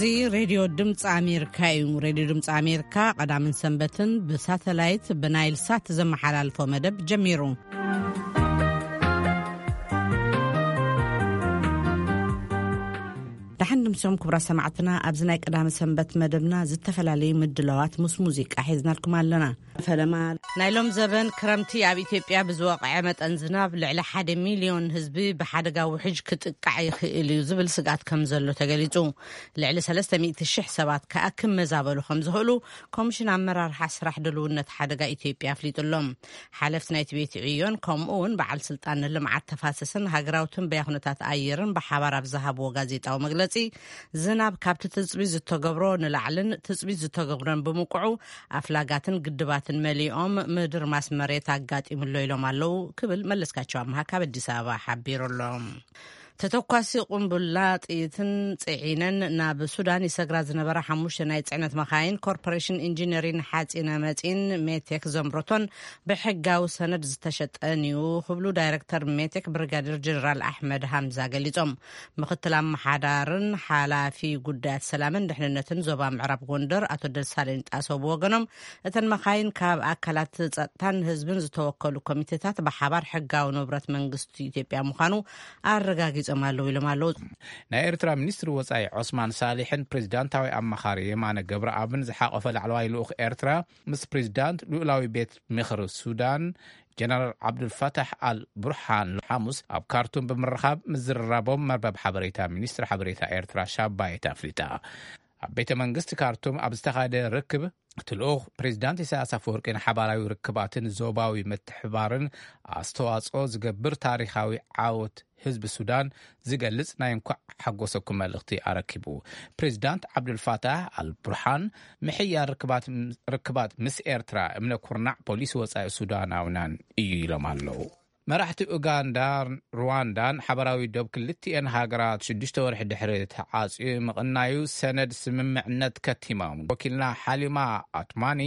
እዚ ሬድዮ ድምፂ ኣሜሪካ እዩ። ሬድዮ ድምፂ ኣሜሪካ ቀዳምን ሰንበትን ብሳተላይት ብናይል ሳት ዘመሓላልፎ መደብ ጀሚሩ። ደሓን ድምሶም ክቡራት ሰማዕትና፣ ኣብዚ ናይ ቀዳመ ሰንበት መደብና ዝተፈላለዩ ምድላዋት ምስ ሙዚቃ ሒዝናልኩም ኣለና። ፈለማ፣ ናይ ሎም ዘበን ክረምቲ ኣብ ኢትዮጵያ ብዝወቕዐ መጠን ዝናብ ልዕሊ ሓደ ሚልዮን ህዝቢ ብሓደጋ ውሕጅ ክጥቃዕ ይኽእል እዩ ዝብል ስግኣት ከም ዘሎ ተገሊጹ። ልዕሊ ሰለስተ ሚእቲ ሽሕ ሰባት ከኣ ክመዛበሉ ከም ዝኽእሉ ኮሚሽን ኣመራርሓ ስራሕ ድልውነት ሓደጋ ኢትዮጵያ ኣፍሊጡ ኣሎ። ሓለፍቲ ናይቲ ቤት ዕዮን ከምኡ እውን በዓል ስልጣን ልምዓት ተፋሰስን ሃገራዊ ትንበያ ኩነታት ኣየርን ብሓባር ኣብ ዝሃብዎ ጋዜጣዊ መግለጺ፣ ዝናብ ካብቲ ትጽቢት ዝተገብሮ ንላዕልን ትጽቢት ዝተገብረን ብምቁዑ ኣፍላጋትን ግድባትን መሊኦም ምድርማስ መሬት ኣጋጢሙሎ ኢሎም ኣለዉ ክብል መለስካቸው ኣምሃ ካብ ኣዲስ ኣበባ ሓቢሩ ኣሎ። ተተኳሲ ቁምቡላ ጥይትን ጽዒነን ናብ ሱዳን ይሰግራ ዝነበራ ሓሙሽተ ናይ ጽዕነት መኻይን ኮርፖሬሽን ኢንጂነሪን ሓጺነ መጺን ሜቴክ ዘምረቶን ብሕጋዊ ሰነድ ዝተሸጠን እዩ ክብሉ ዳይረክተር ሜቴክ ብሪጋዴር ጀነራል ኣሕመድ ሃምዛ ገሊጾም። ምኽትል ኣመሓዳርን ሓላፊ ጉዳያት ሰላምን ድሕንነትን ዞባ ምዕራብ ጎንደር ኣቶ ደሳለኝ ጣሰው ብወገኖም፣ እተን መኻይን ካብ ኣካላት ጸጥታን ህዝብን ዝተወከሉ ኮሚቴታት ብሓባር ሕጋዊ ንብረት መንግስቲ ኢትዮጵያ ምዃኑ ኣረጋጊጾም ኣለዉ ኢሎም ኣለዉ። ናይ ኤርትራ ሚኒስትሪ ወጻኢ ዑስማን ሳሊሕን ፕሬዚዳንታዊ ኣማኻሪ የማነ ገብረኣብን ዝሓቆፈ ላዕለዋይ ልኡኽ ኤርትራ ምስ ፕሬዚዳንት ልኡላዊ ቤት ምኽሪ ሱዳን ጀነራል ዓብዱልፈታሕ ኣል ቡርሃን ሓሙስ ኣብ ካርቱም ብምርኻብ ምዝርራቦም መርበብ ሓበሬታ ሚኒስትሪ ሓበሬታ ኤርትራ ሻባየት ኣፍሊጣ። ኣብ ቤተ መንግስቲ ካርቱም ኣብ ዝተኻየደ ርክብ እቲ ልኡኽ ፕሬዚዳንት ኢሳያስ ኣፈወርቂ ንሓባራዊ ርክባትን ዞባዊ ምትሕባርን ኣስተዋጽኦ ዝገብር ታሪኻዊ ዓወት ህዝቢ ሱዳን ዝገልጽ ናይ እንኳዕ ሓጎሰኩም መልእኽቲ ኣረኪቡ። ፕሬዚዳንት ዓብዱልፋታሕ ኣልቡርሃን ምሕያር ርክባት፣ ርክባት ምስ ኤርትራ እምነ ኩርናዕ ፖሊሲ ወጻኢ ሱዳናውናን እዩ ኢሎም ኣለዉ። መራሕቲ ኡጋንዳ፣ ሩዋንዳን ሓበራዊ ዶብ ክልቲኤን ሃገራት ሽዱሽተ ወርሒ ድሕሪ ተዓጽዩ ምቕናዩ ሰነድ ስምምዕነት ከቲሞም። ወኪልና ሓሊማ ኣትማኒ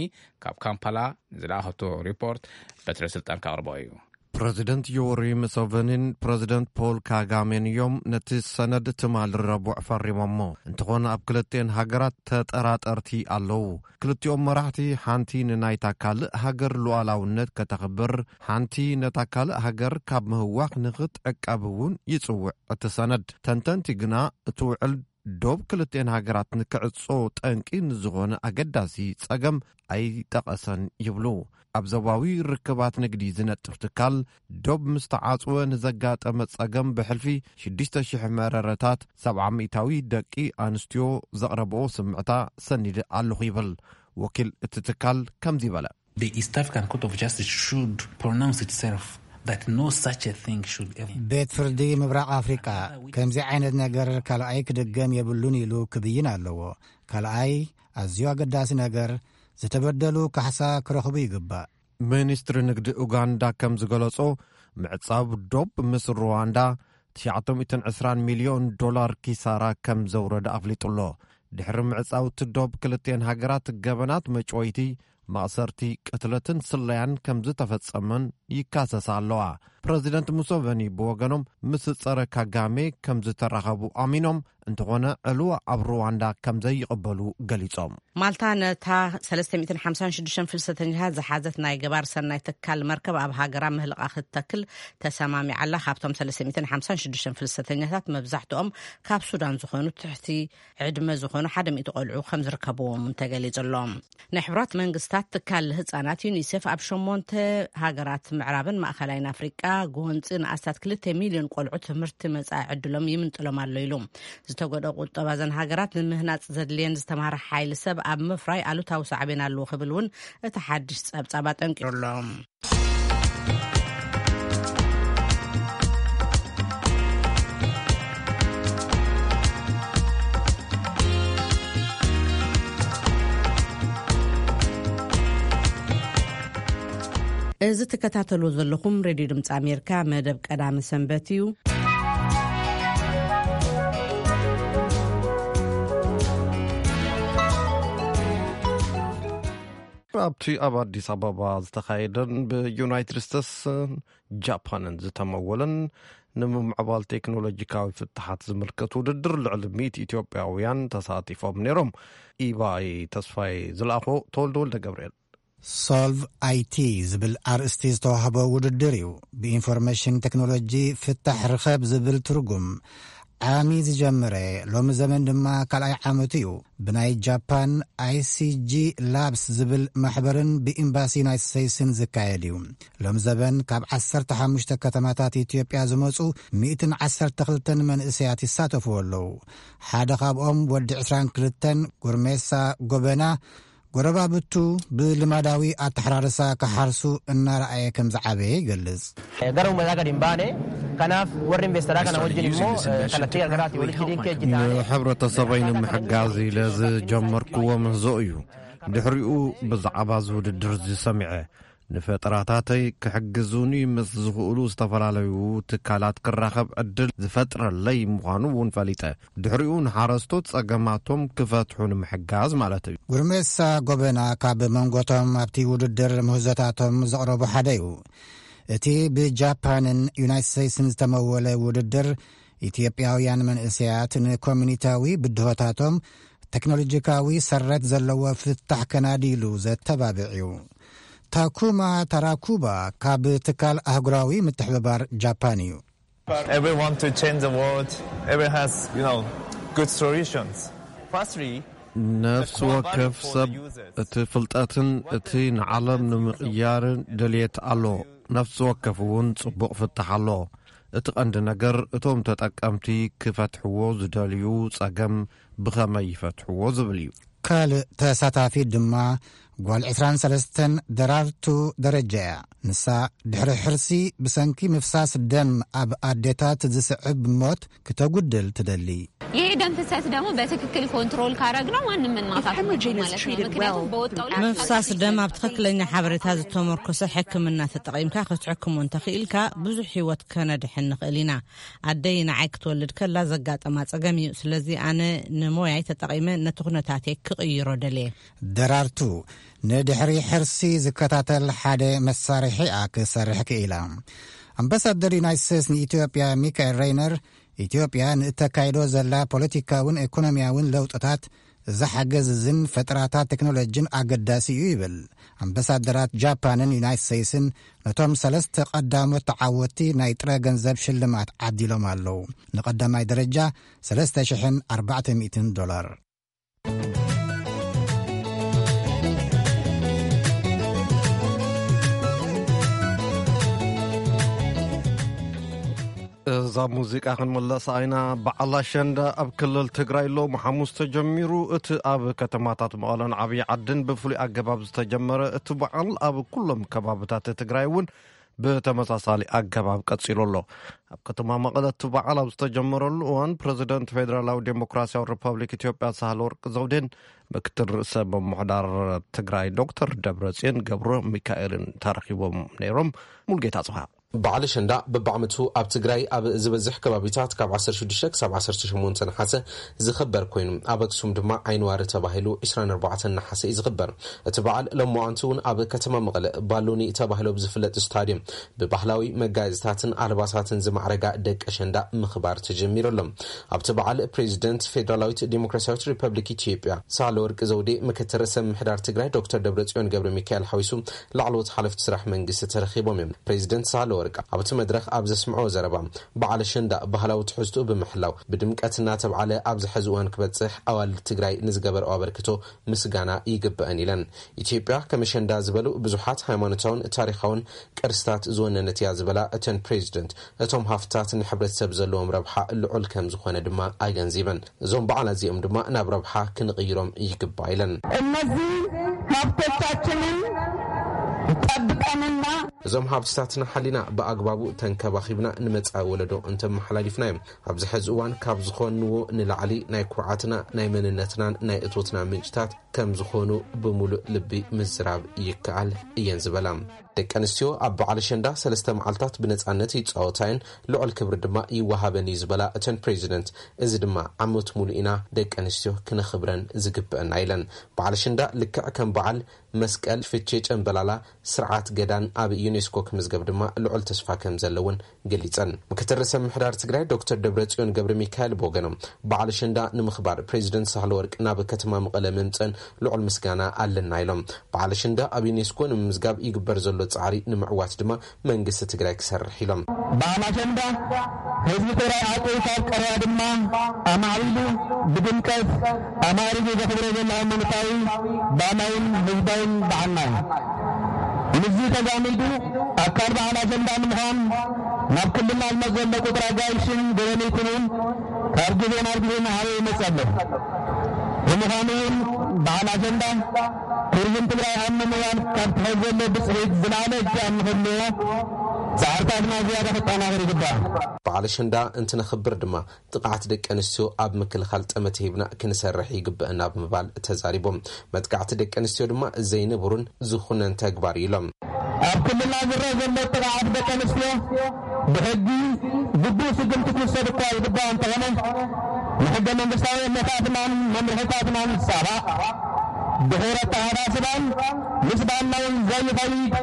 ካብ ካምፓላ ንዝለኣኸቶ ሪፖርት በትረ ስልጣን ከቕርቦ እዩ። ፕረዚደንት ዮወሪ ሙሰቨኒን ፕረዚደንት ፖል ካጋሜን እዮም ነቲ ሰነድ ትማሊ ረቡዕ ፈሪሞሞ። እንተኾነ ኣብ ክልቲኤን ሃገራት ተጠራጠርቲ ኣለዉ። ክልቲኦም መራሕቲ ሓንቲ ንናይታ ካልእ ሃገር ሉዓላውነት ከተኽብር፣ ሓንቲ ነታ ካልእ ሃገር ካብ ምህዋኽ ንኽትዕቀብ እውን ይጽውዕ እቲ ሰነድ። ተንተንቲ ግና እቲ ውዕል ዶብ ክልቲኤን ሃገራት ንክዕጾ ጠንቂ ንዝኾነ ኣገዳሲ ጸገም ኣይጠቐሰን ይብሉ። ኣብ ዞባዊ ርክባት ንግዲ ዝነጥፍ ትካል፣ ዶብ ምስ ተዓጽወ ንዘጋጠመ ጸገም ብሕልፊ ሽዱሽተ ሽሕ መረረታት፣ ሰብዓ ሚእታዊ ደቂ ኣንስትዮ ዘቕረብኦ ስምዕታ ሰኒደ ኣለኹ ይብል። ወኪል እቲ ትካል ከምዚ በለ። The East African Court of Justice should pronounce itself that no such a thing should ever. ቤት ፍርዲ ምብራቕ ኣፍሪቃ ከምዚ ዓይነት ነገር ካልኣይ ክድገም የብሉን ኢሉ ክብይን ኣለዎ። ካልኣይ፣ ኣዝዩ ኣገዳሲ ነገር፣ ዝተበደሉ ካሕሳ ክረኽቡ ይግባእ። ሚኒስትሪ ንግዲ ኡጋንዳ ከም ዝገለጾ፣ ምዕጻብ ዶብ ምስ ሩዋንዳ ትሽዓተ ሚእትን ዕስራን ሚልዮን ዶላር ኪሳራ ከም ዘውረደ ኣፍሊጡ ኣሎ። ድሕሪ ምዕጻው እቲ ዶብ ክልቲኤን ሃገራት ገበናት መጭወይቲ፣ ማእሰርቲ፣ ቅትለትን ስለያን ከም ዝተፈጸመን ይካሰሳ ኣለዋ። ፕረዚደንት ሙሰቨኒ ብወገኖም ምስ ጸረ ካጋሜ ከም ዝተራኸቡ ኣሚኖም፣ እንተኾነ ዕልዋ ኣብ ሩዋንዳ ከም ዘይቕበሉ ገሊጾም። ማልታ ነታ ሰለስተ ሚእትን ሓምሳን ሽዱሽተን ፍልሰተኛታት ዝሓዘት ናይ ገባር ሰናይ ትካል መርከብ ኣብ ሃገራ ምህልቓ ክትተክል ተሰማሚዓ ኣላ። ካብቶም ሰለስተ ሚእትን ሓምሳን ሽዱሽተን ፍልሰተኛታት መብዛሕትኦም ካብ ሱዳን ዝኾኑ ትሕቲ ዕድመ ዝኾኑ ሓደ ሚእቲ ቆልዑ ከም ዝርከብዎም እውን ተገሊጹ ኣሎ። ናይ ሕቡራት መንግስታት ትካል ህጻናት ዩኒሴፍ ኣብ ሸሞንተ ሃገራት ምዕራብን ማእኸላይን ኣፍሪቃ ጎንጺ ንኣስታት ክልተ ሚልዮን ቆልዑ ትምህርቲ መጻኢ ዕድሎም ይምንጥሎም ኣሎ ኢሉ። ዝተጎድኦ ቁጠባ እዘን ሃገራት ንምህናጽ ዘድልየን ዝተማህረ ሓይሊ ሰብ ኣብ ምፍራይ ኣሉታዊ ሳዕቤን ኣለዎ ክብል እውን እቲ ሓድሽ ጸብጻብ ኣጠንቂሩ ኣሎ። እዚ ትከታተልዎ ዘለኹም ሬድዮ ድምፂ ኣሜሪካ መደብ ቀዳሚ ሰንበት እዩ። ኣብቲ ኣብ ኣዲስ ኣበባ ዝተኻየደን ብዩናይትድ ስቴትስን ጃፓንን ዝተመወለን ንምምዕባል ቴክኖሎጂካዊ ፍትሓት ዝምልከት ውድድር ልዕሊ ሚእቲ ኢትዮጵያውያን ተሳቲፎም ነይሮም። ኢባይ ተስፋይ ዝለኣኾ፣ ተወልደ ወልደ ገብርኤል። ሶልቭ ኣይቲ ዝብል ኣርእስቲ ዝተዋህቦ ውድድር እዩ። ብኢንፎርሜሽን ቴክኖሎጂ ፍታሕ ርኸብ ዝብል ትርጉም ዓሚ ዝጀመረ፣ ሎሚ ዘመን ድማ ካልኣይ ዓመቱ እዩ። ብናይ ጃፓን ኣይሲጂ ላብስ ዝብል ማሕበርን ብኤምባሲ ዩናይትድ ስቴትስን ዝካየድ እዩ። ሎም ዘበን ካብ ዓሰርተ ሓሙሽተ ከተማታት ኢትዮጵያ ዝመጹ ሚእትን ዓሰርተ ክልተን መንእሰያት ይሳተፍዎ ኣለዉ። ሓደ ካብኦም ወዲ ዕስራን ክልተን፣ ጉርሜሳ ጎበና፣ ጎረባብቱ ብልማዳዊ ኣተሓራርሳ ክሓርሱ እናረኣየ ከም ዝዓበየ ይገልጽ። Gara uummataa gadi hin baane. Kanaaf warri investeraa kana wajjin immoo kallattii gargaraatti walitti hidhiin kee hojjetaa. ንሕብረተሰበይ ንምሕጋዝ ኢለ ዝጀመርክዎ ምህዞ እዩ። ድሕሪኡ ብዛዕባ እዚ ውድድር እዚ ሰሚዐ፣ ንፈጠራታተይ ክሕግዙኒ ምስ ዝኽእሉ ዝተፈላለዩ ትካላት ክራኸብ ዕድል ዝፈጥረለይ ምዃኑ እውን ፈሊጠ። ድሕሪኡ ንሓረስቶት ጸገማቶም ክፈትሑ ንምሕጋዝ ማለት እዩ። ጉርሜሳ ጎበና ካብ መንጎቶም ኣብቲ ውድድር ምህዞታቶም ዘቕረቡ ሓደ እዩ። እቲ ብጃፓንን ዩናይትድ ስቴትስን ዝተመወለ ውድድር፣ ኢትዮጵያውያን መንእሰያት ንኮሚኒታዊ ብድሆታቶም ቴክኖሎጂካዊ ሰረት ዘለዎ ፍታሕ ከናድይሉ ዘተባብዕ እዩ። ታኩማ ታራኩባ ካብ ትካል ኣህጉራዊ ምትሕብባር ጃፓን እዩ። Everyone to change the world. Everyone has, you know, good solutions. Firstly, ነፍሲ ወከፍ ሰብ እቲ ፍልጠትን እቲ ንዓለም ንምቕያርን ድልየት ኣሎ። ነፍሲ ወከፍ እውን ጽቡቕ ፍታሕ ኣሎ። እቲ ቀንዲ ነገር እቶም ተጠቀምቲ ክፈትሕዎ ዝደልዩ ጸገም ብኸመይ ይፈትሕዎ ዝብል እዩ። ካልእ ተሳታፊት ድማ ጓል ዕስራን ሰለስተን ደራርቱ ደረጃ እያ። ንሳ ድሕሪ ሕርሲ ብሰንኪ ምፍሳስ ደም ኣብ ኣዴታት ዝስዕብ ሞት ክተጉድል ትደሊ። ይሄ ደም ፍሰት ደግሞ በትክክል ኮንትሮል ካረግነው ማንም ምን ማጣት ማለት ነው። ምክንያቱም በወጣው ላይ ምፍሳስ ደም ኣብ ትኽክለኛ ሓበሬታ ዝተመርኮሰ ሕክምና ተጠቒምካ ክትሕክሞ እንተኽኢልካ ብዙሕ ህይወት ከነድሕን ንኽእል ኢና። ኣደይ ንዓይ ክትወልድ ከላ ዘጋጠማ ጸገም እዩ። ስለዚ ኣነ ንሞያይ ተጠቒመ ነቲ ኩነታተይ ክቕይሮ ደልየ። ደራርቱ ንድሕሪ ሕርሲ ዝከታተል ሓደ መሳርሒ እያ ክሰርሕ ክኢላ። ኣምባሳደር ዩናይትድ ስቴትስ ንኢትዮጵያ ሚካኤል ሬይነር፣ ኢትዮጵያ ንእተካይዶ ዘላ ፖለቲካውን ኢኮኖሚያውን ለውጥታት ዝሓገዝዝን ፈጠራታት ቴክኖሎጂን ኣገዳሲ እዩ ይብል። ኣምባሳደራት ጃፓንን ዩናይትድ ስቴትስን ነቶም ሰለስተ ቀዳሞት ተዓወትቲ ናይ ጥረ ገንዘብ ሽልማት ዓዲሎም ኣለዉ። ንቐዳማይ ደረጃ ሰለስተ ሽሕን ኣርባዕተ ሚእትን ዶላር። እዛ ሙዚቃ ክንምለስ ኣይና። በዓል ኣሸንዳ ኣብ ክልል ትግራይ ሎም ሓሙስ ተጀሚሩ። እቲ ኣብ ከተማታት መቐለን ዓብዪ ዓድን ብፍሉይ ኣገባብ ዝተጀመረ እቲ በዓል ኣብ ኩሎም ከባብታት ትግራይ እውን ብተመሳሳሊ ኣገባብ ቀጺሉ ኣሎ። ኣብ ከተማ መቐለ እቲ በዓል ኣብ ዝተጀመረሉ እዋን ፕረዚደንት ፌደራላዊ ዴሞክራሲያዊ ሪፐብሊክ ኢትዮጵያ ሳህለወርቅ ዘውዴን ምክትል ርእሰ ምምሕዳር ትግራይ ዶክተር ደብረጽዮን ገብረ ሚካኤልን ተረኺቦም ነይሮም። ሙልጌታ ጽብሃ። በዓል ኣሸንዳ በብዓመቱ ኣብ ትግራይ ኣብ ዝበዝሕ ከባቢታት ካብ ዓሰርተ ሽዱሽተ ክሳብ ዓሰርተ ሸሞንተ ነሓሰ ዝኽበር ኮይኑ፣ ኣብ ኣክሱም ድማ ዓይንዋሪ ተባሂሉ ዕስራን ኣርባዕተን ነሓሰ እዩ ዝኽበር። እቲ በዓል ሎማዓንቲ እውን ኣብ ከተማ መቐለ ባሎኒ ተባሂሉ ብዝፍለጥ ስታድዮም ብባህላዊ መጋየፅታትን ኣልባሳትን ዝማዕረጋ ደቂ ኣሸንዳ ምኽባር ተጀሚሩ ኣሎ። ኣብቲ በዓል ፕሬዚደንት ፌደራላዊት ዴሞክራሲያዊት ሪፐብሊክ ኢትዮጵያ ሳህለወርቅ ዘውዴ፣ ምክትል ርእሰ ምምሕዳር ትግራይ ዶክተር ደብረጽዮን ገብረ ሚካኤል ሓዊሱ ላዕለዎት ሓለፍቲ ስራሕ መንግስቲ ተረኺቦም እዮም። ፕሬዚደንት ሳህለወርቅ ኣብቲ መድረኽ ኣብ ዘስምዖ ዘረባ፣ በዓል ኣሸንዳ ባህላዊ ትሕዝትኡ ብምሕላው ብድምቀት እናተብዓለ ኣብዚ ሕዚ እዋን ክበፅሕ ኣዋልድ ትግራይ ንዝገበርኦ ኣበርክቶ ምስጋና ይግበአን ኢለን። ኢትዮጵያ ከም ኣሸንዳ ዝበሉ ብዙሓት ሃይማኖታውን ታሪኻውን ቅርስታት ዝወነነት እያ ዝበላ እተን ፕሬዚደንት፣ እቶም ሃፍትታት ንሕብረተሰብ ዘለዎም ረብሓ ልዑል ከም ዝኾነ ድማ ኣገንዚበን። እዞም በዓላት እዚኦም ድማ ናብ ረብሓ ክንቕይሮም ይግባእ ኢለን። እነዚህ ሀብቶቻችንን ጠብቀንና እዞም ሃብትታትና ሓሊና ብኣግባቡ ተንከባኺብና ንመጻኢ ወለዶ እንተመሓላሊፍናዮም፣ ኣብዚ ሕዚ እዋን ካብ ዝኾንዎ ንላዕሊ ናይ ኩርዓትና፣ ናይ መንነትናን ናይ እቶትና ምንጭታት ከም ዝኾኑ ብምሉእ ልቢ ምዝራብ ይከኣል እየን ዝበላ። ደቂ ኣንስትዮ ኣብ በዓል ኣሸንዳ ሰለስተ መዓልታት ብነጻነት ይጻወታ እየን፣ ልዑል ክብሪ ድማ ይወሃበን እዩ ዝበላ እተን ፕሬዚደንት፣ እዚ ድማ ዓመት ሙሉእ ኢና ደቂ ኣንስትዮ ክነኽብረን ዝግብአና ኢለን። በዓል ኣሸንዳ ልክዕ ከም በዓል መስቀል፣ ፍቼ፣ ጨምበላላ፣ ስርዓት ገዳን ኣብ ዩኔስኮ ክምዝገብ ድማ ልዑል ተስፋ ከም ዘለውን ገሊጸን። ምክትል ርእሰ ምምሕዳር ትግራይ ዶክተር ደብረጽዮን ገብረ ሚካኤል ብወገኖም፣ በዓል ኣሸንዳ ንምኽባር ፕሬዚደንት ሳህለወርቅ ናብ ከተማ መቐለ ምምጸን ልዑል ምስጋና ኣለና ኢሎም። በዓል ኣሸንዳ ኣብ ዩኔስኮ ንምምዝጋብ ይግበር ዘሎ ጻዕሪ ንምዕዋት ድማ መንግስቲ ትግራይ ክሰርሕ ኢሎም። በዓል ኣሸንዳ ህዝቢ ትግራይ ኣጽዩ ካብ ቀረባ ድማ ኣማዕቢሉ ብድምቀት ኣማዕሪጉ ዘኽብሮ ዘሎ ሃይማኖታዊ፣ ባህላውን ህዝባውን በዓልና እዩ። ምስዚ ተዛሚዱ ኣካል በዓል ኣሸንዳ ንምዃን ናብ ክልልና ዝመጽእ ዘሎ ቁጽሪ ኣጋይሽን ጎብነይትን እውን ካብ ግዜ ናብ ግዜ እናዓበየ ይመጽእ ኣሎ። ብምዃኑ እውን በዓል ኣሸንዳ ቱሪዝም ትግራይ ኣብ ምምዋል ካብ ትሕዝ ዘሎ ብፅሒት ዝለዓለ እጃም ንክህልዎ ፃዕርታትና ዝያዳ ክጠናኸር ይግባእ። በዓል ኣሸንዳ እንትነኽብር ድማ ጥቕዓት ደቂ ኣንስትዮ ኣብ ምክልኻል ጠመተ ሂብና ክንሰርሕ ይግበአና ብምባል ተዛሪቦም። መጥቃዕቲ ደቂ ኣንስትዮ ድማ ዘይንቡርን ዝኹነን ተግባር እዩ ኢሎም። ኣብ ክልልና ዝረአ ዘሎ ጥቕዓት ደቂ ኣንስትዮ ብሕጊ ግቡእ ስጉምቲ ክውሰድ እኳ ይግባእ እንተኾነ፣ ንሕገ መንግስታዊ እምነታትናን መምርሕታትናን ዝጻባእ፣ ድሑር ኣተሓሳስባን ምስ ባህልና እውን ዘይኸይድ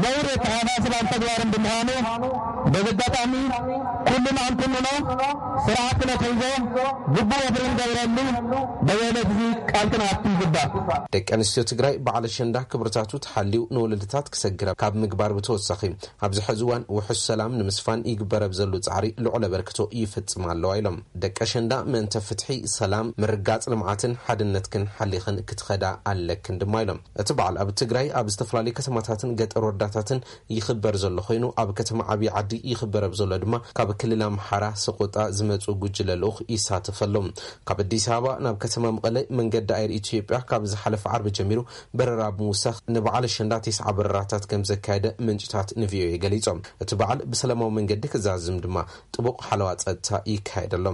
ነውሪ ኣተሓሳስባን ተግባርን ብምዃኑ፣ በዚ ኣጋጣሚ ኩልና ክንኩንኖ፣ ስርዓት ክነትሕዞ ግቡእ ወፍሪ ንገብረሉ በየነት እዚ ቃል ክንኣቱ ይግባእ። ደቂ ኣንስትዮ ትግራይ በዓል ኣሸንዳ ክብርታቱ ተሓልዩ ንወለዶታት ክሰግር ካብ ምግባር ብተወሳኺ፣ ኣብዚ ሕዚ እዋን ውሑስ ሰላም ንምስፋን ይግበር ኣብ ዘሎ ጻዕሪ ልዑል ኣበርክቶ ይፍጽማ ኣለዋ ኢሎም። ደቂ ኣሸንዳ ምእንተ ፍትሒ፣ ሰላም፣ ምርጋጽ፣ ልምዓትን ሓድነትክን ሓሊኽን ክትኸዳ ኣለክን ድማ ኢሎም። እቲ በዓል ኣብ ትግራይ ኣብ ዝተፈላለዩ ከተማታትን ገጠር ወረዳታትን ይኽበር ዘሎ ኮይኑ፣ ኣብ ከተማ ዓብዪ ዓዲ ይኽበር ኣብ ዘሎ ድማ ካብ ክልል ኣምሓራ ሰቆጣ ዝመጹ ጉጅለ ልኡኽ ይሳተፍ ኣሎ። ካብ ኣዲስ ኣበባ ናብ ከተማ መቐለ መንገዲ ኣየር ኢትዮጵያ ካብ ዝሓለፈ ዓርቢ ጀሚሩ በረራ ብምውሳኽ ንበዓል ኣሸንዳ ተስዓ በረራታት ከም ዘካየደ ምንጭታት ንቪኦኤ ገሊጾም። እቲ በዓል ብሰላማዊ መንገዲ ክዛዝም ድማ ጥቡቕ ሓለዋ ጸጥታ ይካየድ ኣሎ።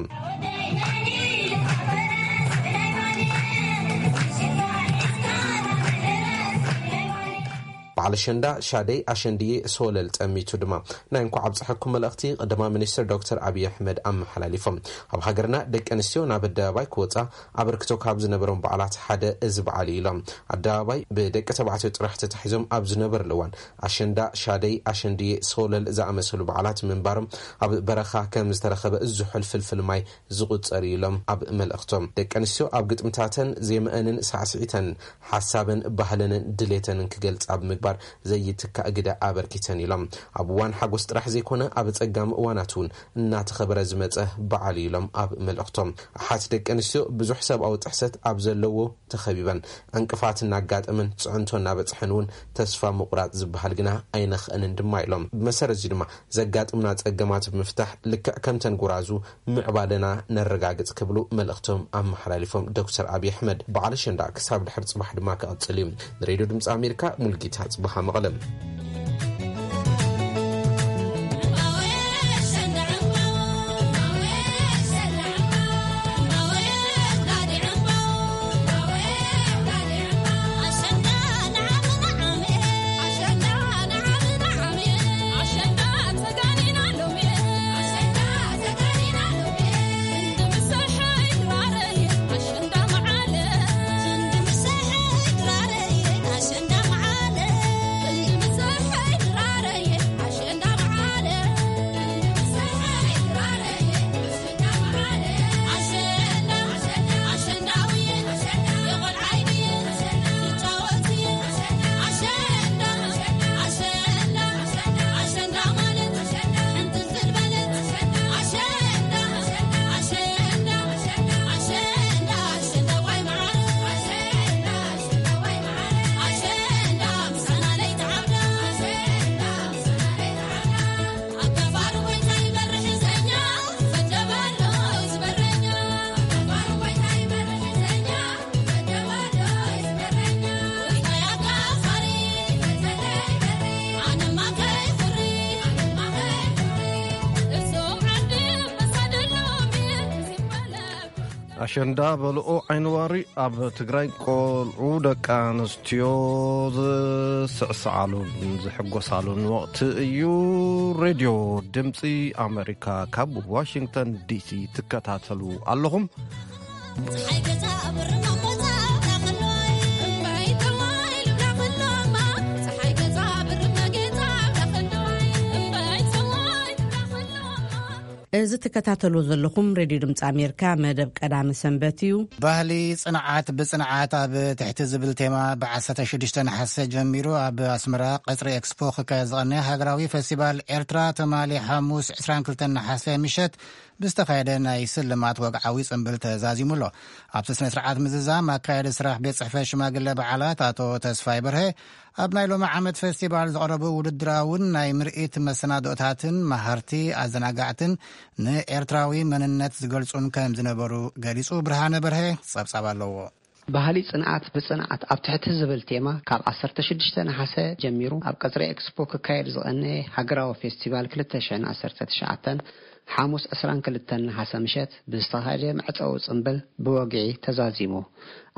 በዓል ኣሸንዳ ሻደይ ኣሸንድዬ ሶለል ጠሚቱ ድማ ናይ እንኳዕ ኣብፀሐኩም መልእኽቲ ቀዳማይ ሚኒስትር ዶክተር ኣብይ ኣሕመድ ኣመሓላሊፎም። ኣብ ሃገርና ደቂ ኣንስትዮ ናብ ኣደባባይ ክወፃ ኣበርክቶ ካብ ዝነበሮም በዓላት ሓደ እዚ በዓል እዩ ኢሎም። ኣደባባይ ብደቂ ተባዕትዮ ጥራሕ ተታሒዞም ኣብ ዝነበርሉ እዋን ኣሸንዳ፣ ሻደይ፣ ኣሸንድዬ፣ ሶለል ዝኣመሰሉ በዓላት ምንባሮም ኣብ በረኻ ከም ዝተረኸበ ዝሑል ፍልፍል ማይ ዝቑጸር እዩ ኢሎም ኣብ መልእኽቶም። ደቂ ኣንስትዮ ኣብ ግጥምታተን ዜመአንን ሳዕስዒተን ሓሳበን ባህለንን ድሌተንን ክገልጻ ብምግባር ዘይትካእ ግደ ኣበርኪተን ኢሎም። ኣብ እዋን ሓጎስ ጥራሕ ዘይኮነ ኣብ ጸጋሚ እዋናት እውን እናተኸበረ ዝመጸ በዓል እዩ ኢሎም ኣብ መልእኽቶም። ኣሓት ደቂ ኣንስትዮ ብዙሕ ሰብኣዊ ጥሕሰት ኣብ ዘለዎ ተኸቢበን ዕንቅፋት እናጋጠመን ፅዕንቶ እናበፅሐን እውን ተስፋ ምቑራፅ ዝበሃል ግና ኣይነኽእንን ድማ ኢሎም። ብመሰረት እዚ ድማ ዘጋጥሙና ፀገማት ብምፍታሕ ልክዕ ከምተን ጎራዙ ምዕባለና ነረጋግፅ ክብሉ መልእኽቶም ኣመሓላሊፎም። ዶክተር ኣብይ ኣሕመድ በዓል ኣሸንዳ ክሳብ ድሕሪ ፅባሕ ድማ ክቕፅል እዩ። ንሬድዮ ድምፂ ኣሜሪካ ሙልጌታ ፅባሃ መቐለም። ኣሸንዳ በልኦ ዓይንዋሪ ኣብ ትግራይ ቆልዑ ደቂ ኣንስትዮ ዝስዕስዓሉን ዝሕጎሳሉን ወቕቲ እዩ። ሬድዮ ድምፂ ኣሜሪካ ካብ ዋሽንግተን ዲሲ ትከታተሉ ኣለኹም። እዚ ትከታተሉ ዘለኹም ሬድዮ ድምፂ ኣሜሪካ መደብ ቀዳሚ ሰንበት እዩ። ባህሊ ጽንዓት ብጽንዓት ኣብ ትሕቲ ዝብል ቴማ ብ16 ነሓሰ ጀሚሩ ኣብ ኣስመራ ቀጽሪ ኤክስፖ ክካየድ ዝቐነ ሃገራዊ ፈስቲቫል ኤርትራ ትማሊ ሓሙስ 22 ነሓሰ ምሸት ብዝተኻየደ ናይ ስልማት ወግዓዊ ጽምብል ተዛዚሙ ኣሎ። ኣብቲ ስነ ስርዓት ምዝዛም ኣካየዲ ስራሕ ቤት ጽሕፈት ሽማግለ በዓላት ኣቶ ተስፋይ በርሀ ኣብ ናይ ሎሚ ዓመት ፈስቲቫል ዝቐረቡ ውድድራውን ናይ ምርኢት መሰናዶታትን መሃርቲ ኣዘናጋዕትን ንኤርትራዊ መንነት ዝገልጹን ከም ዝነበሩ ገሊጹ። ብርሃነ በርሀ ጸብጻብ ኣለዎ። ባህሊ ጽንዓት ብጽንዓት ኣብ ትሕቲ ዝብል ቴማ ካብ 16 ነሓሰ ጀሚሩ ኣብ ቀጽሪ ኤክስፖ ክካየድ ዝቐነ ሃገራዊ ፌስቲቫል 2019 ሓሙስ 22 ነሓሰ ምሸት ብዝተኻየደ መዕጸዊ ጽምብል ብወግዒ ተዛዚሙ።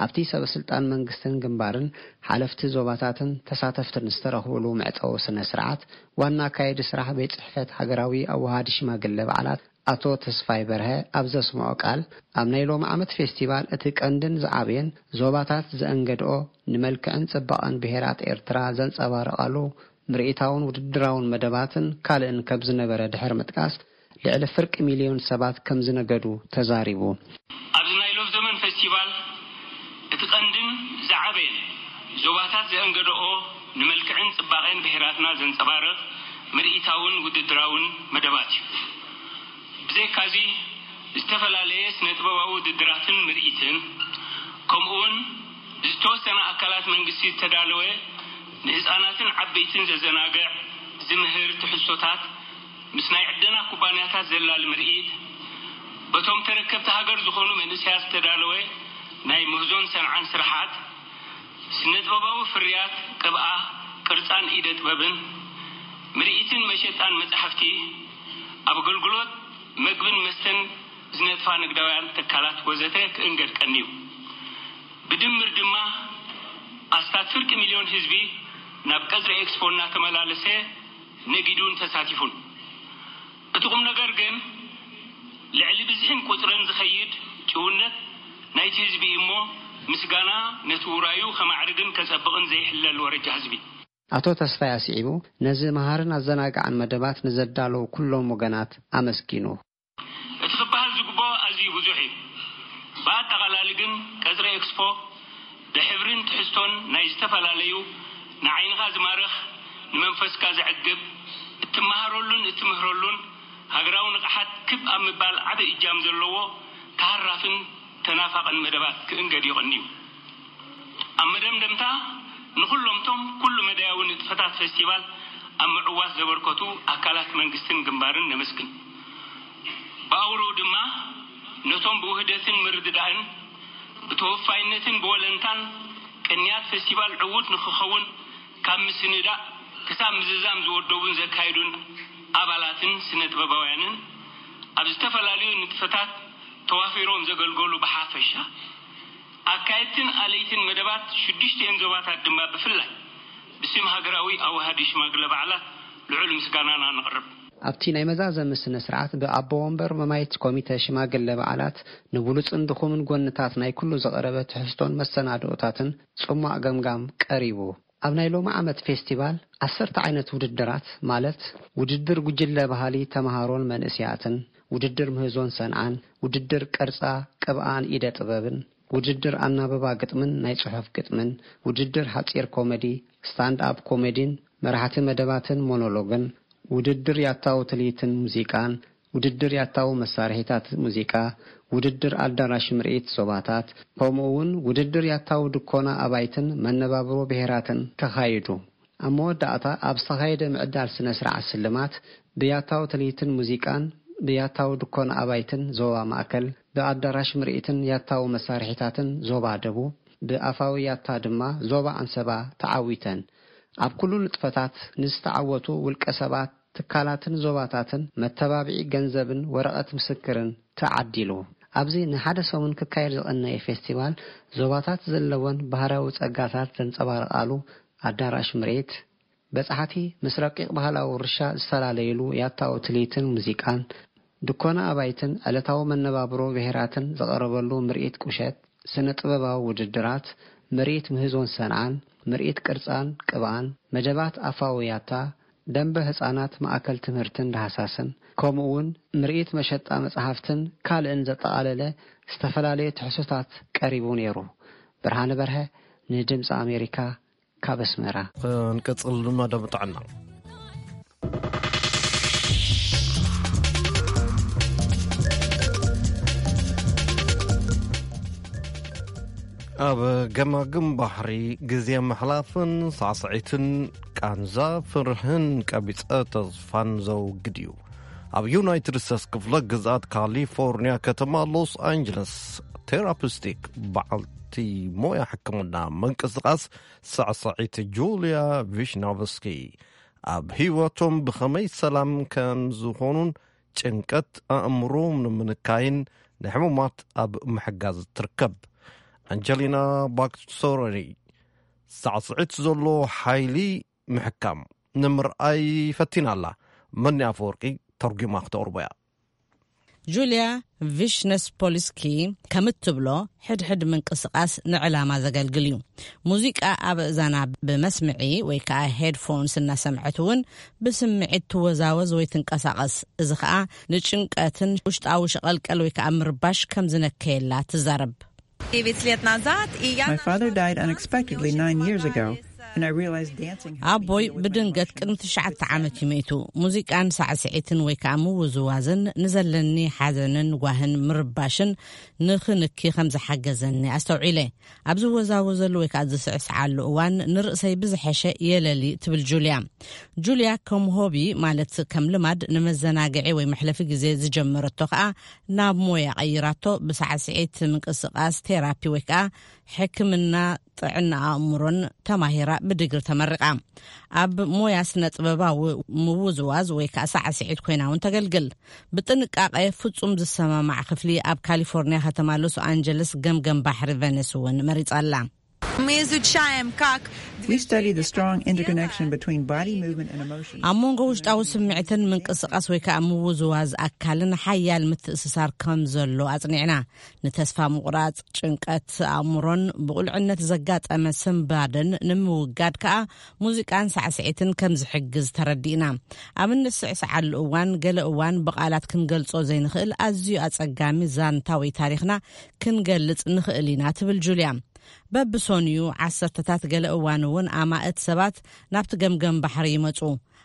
ኣብቲ ሰበ ስልጣን መንግስትን ግንባርን ሓለፍቲ ዞባታትን ተሳተፍትን ዝተረኽብሉ መዕጸዊ ስነ ስርዓት ዋና ኣካየዲ ስራሕ ቤት ጽሕፈት ሃገራዊ ኣዋሃዲ ሽማግለ በዓላት ኣቶ ተስፋይ በርሀ ኣብ ዘስምዖ ቃል፣ ኣብ ናይ ሎሚ ዓመት ፌስቲቫል እቲ ቀንድን ዝዓበየን ዞባታት ዘእንገድኦ ንመልክዕን ጽባቐን ብሄራት ኤርትራ ዘንጸባርቓሉ ምርኢታውን ውድድራውን መደባትን ካልእን ከም ዝነበረ ድሕሪ ምጥቃስ፣ ልዕሊ ፍርቂ ሚልዮን ሰባት ከም ዝነገዱ ተዛሪቡ። ኣብዚ ናይ ሎፍ ዘመን ፌስቲቫል እቲ ቀንድን ዝዓበየን ዞባታት ዘእንገድኦ ንመልክዕን ጽባቐን ብሄራትና ዘንጸባርቕ ምርኢታውን ውድድራውን መደባት እዩ። ብዘይካዚ ዝተፈላለየ ስነ ጥበባዊ ውድድራትን ምርኢትን፣ ከምኡውን ብዝተወሰነ ኣካላት መንግስቲ ዝተዳለወ ንህፃናትን ዓበይትን ዘዘናግዕ ዝምህር ትሕዝቶታት ምስ ናይ ዕደና ኩባንያታት ዘላሊ ምርኢት፣ በቶም ተረከብቲ ሃገር ዝኾኑ መንእሰያት ዝተዳለወ ናይ ምህዞን ሰንዓን ስራሓት፣ ስነ ጥበባዊ ፍርያት ቅብኣ ቅርጻን ኢደ ጥበብን፣ ምርኢትን መሸጣን መጻሕፍቲ፣ ኣብ ኣገልግሎት መግብን መስተን ዝነጥፋ ንግዳውያን ትካላት ወዘተ ክእንገድ ቀንዩ። ብድምር ድማ ኣስታት ፍርቂ ሚልዮን ህዝቢ ናብ ቀጽሪ ኤክስፖ እናተመላለሰ ነጊዱን ተሳቲፉን። እቲ ቁም ነገር ግን ልዕሊ ብዝሕን ቁጽርን ዝኸይድ ጭውነት ናይቲ ህዝቢ እዩ እሞ፣ ምስጋና ነቲ ውራዩ ከማዕርግን ከጸብቕን ዘይሕለል ወረጃ ህዝቢ። ኣቶ ተስፋይ ኣስዒቡ፣ ነዚ መሃርን ኣዘናጋዕን መደባት ንዘዳለዉ ኩሎም ወገናት ኣመስጊኑ። እቲ ክበሃል ዝግብኦ ኣዝዩ ብዙሕ እዩ። ብኣጠቓላሊ ግን ቀጽሪ ኤክስፖ ብሕብርን ትሕዝቶን ናይ ዝተፈላለዩ ንዓይንኻ ዝማርኽ፣ ንመንፈስካ ዘዕግብ፣ እትመሃረሉን እትምህረሉን ሃገራዊ ንቕሓት ክብ ኣብ ምባል ዓቢ እጃም ዘለዎ ተሃራፍን ተናፋቕን መደባት ክእንገድ ይቕንዩ። ኣብ መደምደምታ ንኹሎምቶም ኩሉ መዳያዊ ንጥፈታት ፌስቲቫል ኣብ ምዕዋት ዘበርከቱ ኣካላት መንግስትን ግንባርን ነመስግን። ብኣውርኡ ድማ ነቶም ብውህደትን ምርድዳእን ብተወፋይነትን ብወለንታን ቅንያት ፌስቲቫል ዕዉት ንክኸውን ካብ ምስንዳእ ክሳብ ምዝዛም ዝወደቡን ዘካየዱን ኣባላትን ስነ ጥበባውያንን ኣብ ዝተፈላለዩ ንጥፈታት ተዋፊሮም ዘገልገሉ ብሓፈሻ ኣካየድትን ኣለይትን መደባት ሽዱሽቲኤን ዞባታት ድማ ብፍላይ ብስም ሃገራዊ ኣዋሃዲ ሽማግለ በዓላት ልዑል ምስጋናና ነቕርብ። ኣብቲ ናይ መዛዘሚ ስነ ስርዓት ብኣቦ ወንበር መማይት ኮሚተ ሽማግለ በዓላት ንብሉጽን ድኹምን ጎንታት ናይ ኩሉ ዝቐረበ ትሕዝቶን መሰናድኦታትን ጽሟቕ ገምጋም ቀሪቡ። ኣብ ናይ ሎሚ ዓመት ፌስቲቫል ዓሰርተ ዓይነት ውድድራት ማለት ውድድር ጉጅለ ባህሊ ተምሃሮን መንእስያትን፣ ውድድር ምህዞን ሰንዓን፣ ውድድር ቅርጻ ቅብኣን ኢደ ጥበብን፣ ውድድር ኣናብባ ግጥምን ናይ ጽሑፍ ግጥምን፣ ውድድር ሓጺር ኮሜዲ፣ ስታንድ ኣፕ ኮሜዲን መራሕቲ መደባትን ሞኖሎግን፣ ውድድር ያታዊ ትልሂትን ሙዚቃን፣ ውድድር ያታዊ መሳርሒታት ሙዚቃ፣ ውድድር ኣዳራሽ ምርኢት ዞባታት፣ ከምኡ እውን ውድድር ያታዊ ድኮና ኣባይትን መነባብሮ ብሄራትን ተኻይዱ። ኣብ መወዳእታ ኣብ ዝተኻየደ ምዕዳል ስነ ስርዓት ስልማት ብያታዊ ትልሂትን ሙዚቃን ብያታዊ ድኮና ኣባይትን ዞባ ማእከል፣ ብኣዳራሽ ምርኢትን ያታዊ መሳርሒታትን ዞባ ደቡብ፣ ብኣፋዊ ያታ ድማ ዞባ ኣንሰባ ተዓዊተን። ኣብ ኩሉ ንጥፈታት ንዝተዓወቱ ውልቀ ሰባት፣ ትካላትን ዞባታትን መተባብዒ ገንዘብን ወረቐት ምስክርን ተዓዲሉ። ኣብዚ ንሓደ ሰሙን ክካየድ ዝቐነየ ፌስቲቫል፣ ዞባታት ዘለወን ባህርያዊ ጸጋታት ዘንጸባርቓሉ ኣዳራሽ ምርኢት፣ በጻሕቲ ምስ ረቂቕ ባህላዊ ውርሻ ዝፈላለዩሉ ያታዊ ትልሂትን ሙዚቃን፣ ድኮና ኣባይትን ዕለታዊ መነባብሮ ብሄራትን ዝቐረበሉ ምርኢት ቁሸት፣ ስነ ጥበባዊ ውድድራት፣ ምርኢት ምህዞን ሰንዓን፣ ምርኢት ቅርጻን ቅብኣን፣ መደባት ኣፋዊ ያታ፣ ደንበ ህጻናት፣ ማእከል ትምህርትን ዳህሳስን፣ ከምኡ እውን ምርኢት መሸጣ መጽሓፍትን ካልእን ዘጠቓለለ ዝተፈላለየ ትሕዝቶታት ቀሪቡ ነይሩ። ብርሃነ በርሀ፣ ንድምፂ ኣሜሪካ፣ ካብ ኣስመራ። ክንቅጽል ድማ ደምጣዕና። ኣብ ገማግም ባሕሪ ግዜ ምሕላፍን ሳዕስዒትን ቃንዛ ፍርህን ቀቢጸ ተስፋን ዘውግድ እዩ። ኣብ ዩናይትድ ስቴትስ ክፍለ ግዝኣት ካሊፎርኒያ ከተማ ሎስ ኣንጀለስ ቴራፒስቲክ በዓልቲ ሞያ ሕክምና ምንቅስቓስ ሳዕስዒት ጁልያ ቪሽናቭስኪ ኣብ ህይወቶም ብኸመይ ሰላም ከም ዝኾኑን ጭንቀት ኣእምሮ ንምንካይን ንሕሙማት ኣብ ምሕጋዝ ትርከብ። ኣንጀሊና ባክሶረኒ ሳዕስዒት ዘሎ ሓይሊ ምሕካም ንምርኣይ ፈቲና ኣላ። መኒ ኣፈወርቂ ተርጒማ ክተቕርቦ እያ። ጁልያ ቪሽነስ ፖሊስኪ ከም እትብሎ፣ ሕድሕድ ምንቅስቓስ ንዕላማ ዘገልግል እዩ። ሙዚቃ ኣብ እዛና ብመስምዒ ወይ ከዓ ሄድፎንስ እናሰምዐት እውን ብስምዒት ትወዛወዝ ወይ ትንቀሳቐስ። እዚ ከዓ ንጭንቀትን ውሽጣዊ ሸቐልቀል ወይ ከዓ ምርባሽ ከም ዝነከየላ ትዛረብ። My father died unexpectedly nine years ago, and I realized dancing helped me ኣቦይ deal with my ብድንገት emotions. ቅድሚ ትሽዓተ ዓመት እዩ መይቱ። ሙዚቃን ሳዕስዒትን ወይ ከዓ ምውዝዋዝን ንዘለኒ ሓዘንን ጓህን ምርባሽን ንኽንኪ ከም ዝሓገዘኒ ኣስተውዒለ። ኣብ ዝወዛወዘሉ ወይ ከዓ ዝስዕስዓሉ እዋን ንርእሰይ ብዝሐሸ የለሊ ትብል ጁልያ። ጁልያ ከም ሆቢ ማለት ከም ልማድ ንመዘናግዒ ወይ መሕለፊ ግዜ ዝጀመረቶ ከዓ ናብ ሞያ ቀይራቶ። ብሳዕስዒት ምንቅስቓስ ቴራፒ ወይ ከዓ ሕክምና ጥዕና ኣእምሮን ተማሂራ ብድግሪ ተመሪቓ። ኣብ ሞያ ስነ ጥበባዊ ምውዝዋዝ ወይ ከዓ ሳዕስዒት ኮይና እውን ተገልግል። ብጥንቃቐ ፍጹም ዝሰማማዕ ክፍሊ ኣብ ካሊፎርኒያ ከተማ ሎስ ኣንጀለስ ገምገም ባሕሪ ቨነስ እውን መሪጻ ኣላ። Мы изучаем, как We study the strong interconnection between body movement and emotion. ኣብ መንጎ ውሽጣዊ ስምዒትን ምንቅስቓስ ወይ ከዓ ምውዝዋዝ ኣካልን ሓያል ምትእስሳር ከም ዘሎ ኣጽኒዕና። ንተስፋ ምቑራጽ፣ ጭንቀት ኣእምሮን ብቑልዕነት ዘጋጠመ ስንባደን ንምውጋድ ከዓ ሙዚቃን ሳዕስዒትን ከም ዝሕግዝ ተረዲእና። ኣብ እንስዕስዓሉ እዋን፣ ገለ እዋን ብቓላት ክንገልጾ ዘይንኽእል ኣዝዩ ኣጸጋሚ ዛንታ ወይ ታሪኽና ክንገልጽ ንኽእል ኢና ትብል ጁልያ። በብሶንዩ ዓሰርተታት፣ ገለ እዋን እውን ኣማእት ሰባት ናብቲ ገምገም ባሕሪ ይመጹ።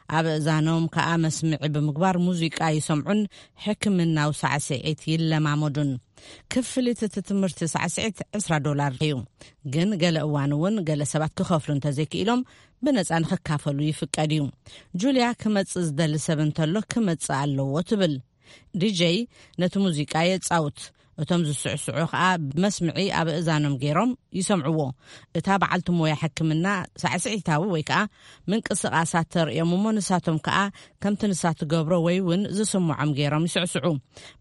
ኣብ እዛኖም ከኣ መስምዒ ብምግባር ሙዚቃ ይሰምዑን ሕክምናዊ ሳዕስዒት ይለማመዱን። ክፍሊት እቲ ትምህርቲ ሳዕስዒት ዕስራ ዶላር እዩ። ግን ገለ እዋን እውን ገለ ሰባት ክኸፍሉ እንተዘይክኢሎም ብነጻ ንኽካፈሉ ይፍቀድ እዩ። ጁልያ ክመጽእ ዝደሊ ሰብ እንተሎ ክመጽእ ኣለዎ ትብል። ዲጀይ ነቲ ሙዚቃ የጻውት። እቶም ዝስዕስዑ ከኣ ብመስምዒ ኣብ እዛኖም ገይሮም ይሰምዕዎ። እታ በዓልቲ ሞያ ሕክምና ሳዕስዒታዊ ወይ ከኣ ምንቅስቓሳት ተርእዮም እሞ ንሳቶም ከኣ ከምቲ ንሳ ትገብሮ ወይ እውን ዝስምዖም ገይሮም ይስዕስዑ።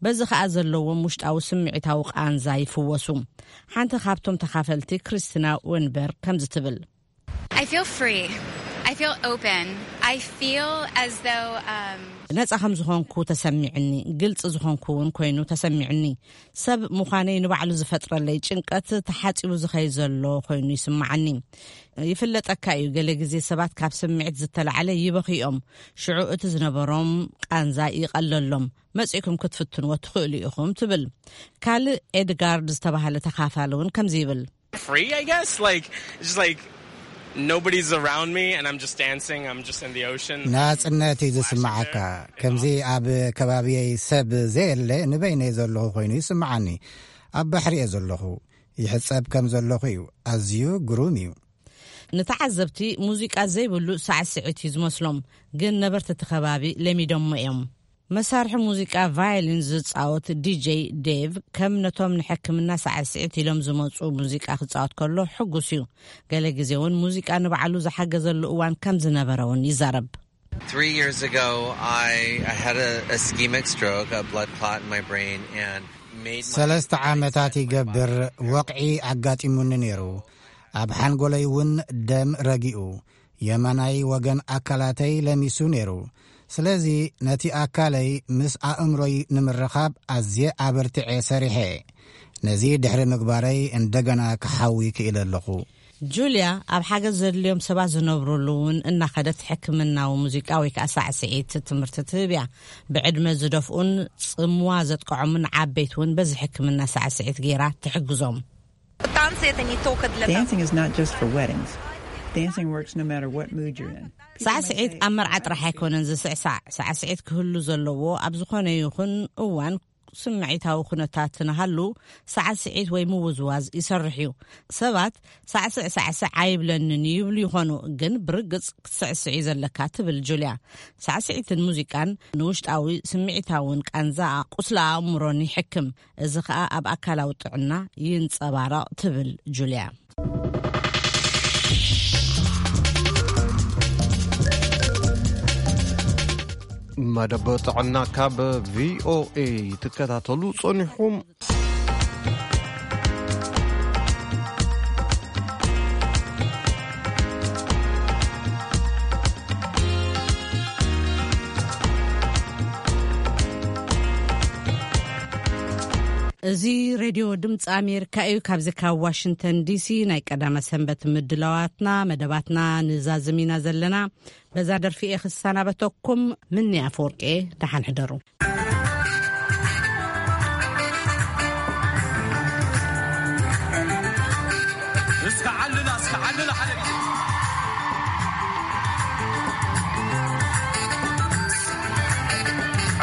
በዚ ከኣ ዘለዎም ውሽጣዊ ስምዒታዊ ቃንዛ ይፍወሱ። ሓንቲ ካብቶም ተኻፈልቲ ክሪስቲና ወንበርግ ከምዚ ትብል። I feel free. I feel open. I feel as though um, ነጻ ከም ዝኾንኩ ተሰሚዕኒ፣ ግልጺ ዝኾንኩ እውን ኮይኑ ተሰሚዕኒ። ሰብ ምዃነይ ንባዕሉ ዝፈጥረለይ ጭንቀት ተሓጺቡ ዝኸይ ዘሎ ኮይኑ ይስምዓኒ። ይፍለጠካ እዩ፣ ገለ ግዜ ሰባት ካብ ስምዒት ዝተላዕለ ይበኽዮም። ሽዑ እቲ ዝነበሮም ቃንዛ ይቐለሎም። መጺእኩም ክትፍትንዎ ትኽእሉ ኢኹም ትብል። ካልእ ኤድጋርድ ዝተባህለ ተኻፋሊ እውን ከምዚ ይብል። Free, I guess. Like, it's just like nobody's around me and I'm just dancing. I'm just in the ocean. ናጽነት እዩ ዝስምዓካ። ከምዚ ኣብ ከባቢየይ ሰብ ዘየለ ንበይነይ ዘለኹ ኮይኑ ይስምዓኒ። ኣብ ባሕሪ እየ ዘለኹ። ይሕጸብ ከም ዘለኹ እዩ። ኣዝዩ ግሩም እዩ። ንተዓዘብቲ ሙዚቃ ዘይብሉ ሳዕስዒት እዩ ዝመስሎም፣ ግን ነበርቲ እቲ ከባቢ ለሚዶሞ እዮም። መሳርሒ ሙዚቃ ቫዮሊን ዝጻወት ዲጀይ ዴቭ ከም ነቶም ንሕክምና ሳዕስዒት ኢሎም ዝመጹ ሙዚቃ ክጻወት ከሎ ሕጉስ እዩ። ገለ ግዜ እውን ሙዚቃ ንባዕሉ ዝሓገዘሉ እዋን ከም ዝነበረ እውን ይዛረብ። Three years ago, I, I had a ischemic stroke, a blood clot in my brain, and ሰለስተ ዓመታት ይገብር፣ ወቕዒ ኣጋጢሙኒ ነይሩ። ኣብ ሓንጎለይ እውን ደም ረጊኡ፣ የማናይ ወገን ኣካላተይ ለሚሱ ነይሩ። ስለዚ ነቲ ኣካለይ ምስ ኣእምሮይ ንምርኻብ ኣዝየ ኣበርቲዐ ሰሪሐ። ነዚ ድሕሪ ምግባረይ እንደገና ክሓዊ ክኢለ ኣለኹ። ጁልያ ኣብ ሓገዝ ዘድልዮም ሰባት ዝነብሩሉ እውን እናኸደት ሕክምናዊ ሙዚቃ ወይ ከዓ ሳዕስዒት ትምህርቲ ትህብ እያ። ብዕድመ ዝደፍኡን ጽምዋ ዘጥቅዖምን ዓበይቲ እውን በዚ ሕክምና ሳዕስዒት ገይራ ትሕግዞም። Танцы — это не только для того. Dancing is not just for weddings. Dancing works no matter what mood you're in. ሳዕስዒት ኣብ መርዓ ጥራሕ ኣይኮነን ዝስዕሳዕ። ሳዕስዒት ክህሉ ዘለዎ ኣብ ዝኾነ ይኹን እዋን ስምዒታዊ ኩነታት ንሃሉ ሳዕስዒት ወይ ምውዝዋዝ ይሰርሕ እዩ። ሰባት ሳዕስዕ ሳዕስዕ ኣይብለንን ይብሉ ይኾኑ፣ ግን ብርግጽ ክትስዕስዕ እዩ ዘለካ ትብል ጁልያ። ሳዕስዒትን ሙዚቃን ንውሽጣዊ ስምዒታውን ቃንዛ ቁስሊ ኣእምሮን ይሕክም። እዚ ኸኣ ኣብ ኣካላዊ ጥዕና ይንጸባረቕ ትብል ጁልያ። መደብ ጥዕና ካብ ቪኦኤ ትከታተሉ ጸኒሕኩም። እዚ ሬድዮ ድምፂ ኣሜሪካ እዩ። ካብዚ ካብ ዋሽንግተን ዲሲ ናይ ቀዳመ ሰንበት ምድላዋትና፣ መደባትና ንዛዝም ኢና ዘለና። በዛ ደርፊ እየ ክሰናበተኩም። ምኒ ኣፈወርቂ፣ ደሓን ሕደሩ። እስከ ዓልላ፣ እስከ ዓልላ ሓደ ግዜ።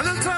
ዕልልታ።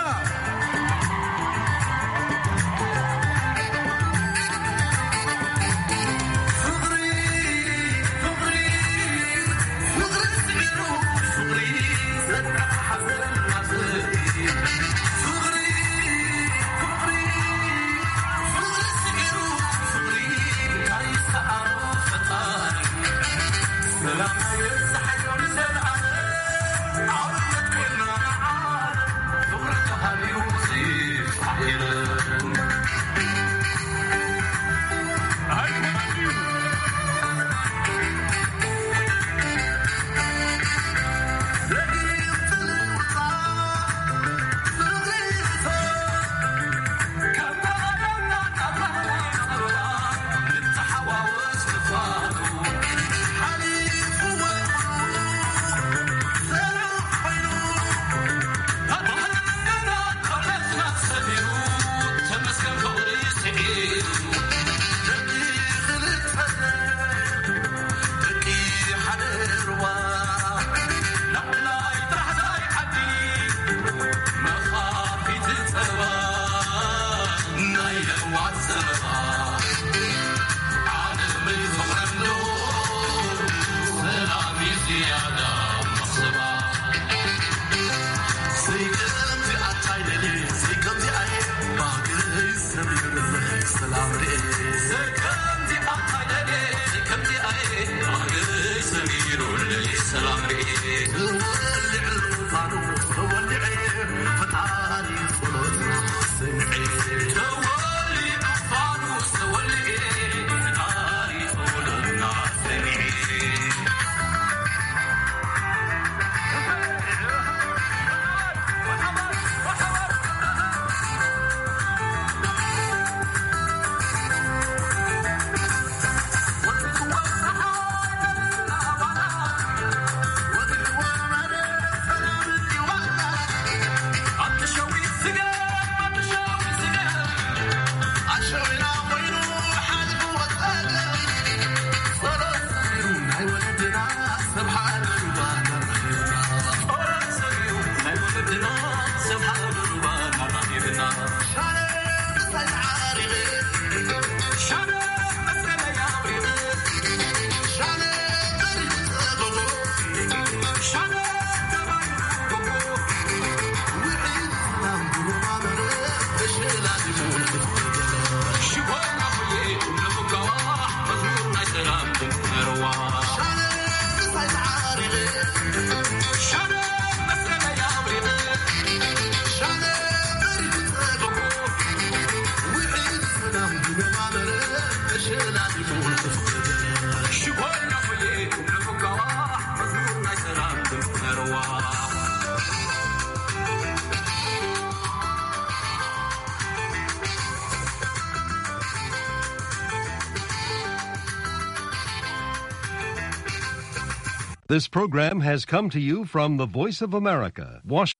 This program has come to you from the Voice of America, Washington.